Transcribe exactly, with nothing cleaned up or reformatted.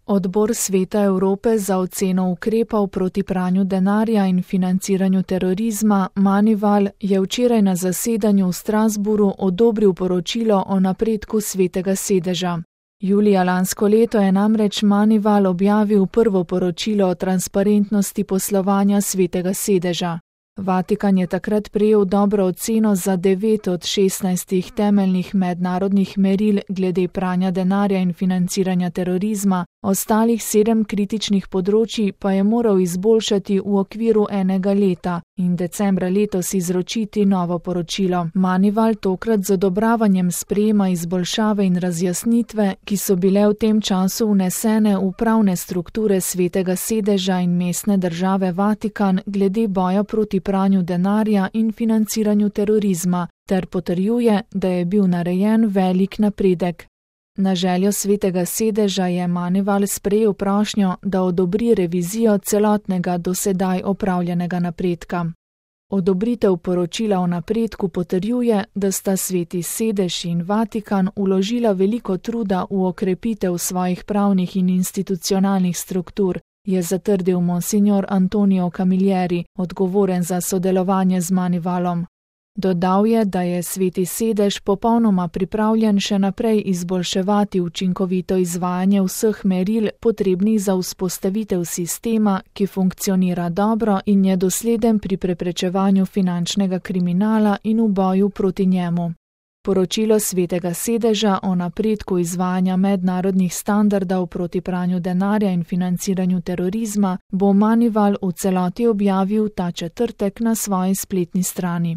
Odbor Sveta Evrope za oceno ukrepov proti pranju denarja in financiranju terorizma Manival je včeraj na zasedanju v Strasbourgu odobril poročilo o napredku Svetega sedeža. Julija lansko leto je namreč Manival objavil prvo poročilo o transparentnosti poslovanja Svetega sedeža. Vatikan je takrat prejel dobro oceno za devet od šestnajstih temeljnih mednarodnih meril glede pranja denarja in financiranja terorizma, ostalih sedem kritičnih področij pa je moral izboljšati v okviru enega leta in decembra letos izročiti novo poročilo. Manival tokrat z odobravanjem sprejema izboljšave in razjasnitve, ki so bile v tem času vnesene v pravne strukture Svetega sedeža in mestne države Vatikan glede boja proti pranju denarja in financiranju terorizma, ter potrjuje, da je bil narejen velik napredek. Na željo Svetega sedeža je Manival sprejel prošnjo, da odobri revizijo celotnega dosedaj opravljenega napredka. Odobritev poročila o napredku potrjuje, da sta Sveti sedež in Vatikan vložila veliko truda v okrepitev svojih pravnih in institucionalnih struktur, je zatrdil monsignor Antonio Camilleri, odgovoren za sodelovanje z Manivalom. Dodal je, da je Sveti sedež popolnoma pripravljen še naprej izboljševati učinkovito izvajanje vseh meril potrebnih za vzpostavitev sistema, ki funkcionira dobro in je dosleden pri preprečevanju finančnega kriminala in v boju proti njemu. Poročilo Svetega sedeža o napredku izvajanja mednarodnih standardov proti pranju denarja in financiranju terorizma bo Manival v celoti objavil ta četrtek na svoji spletni strani.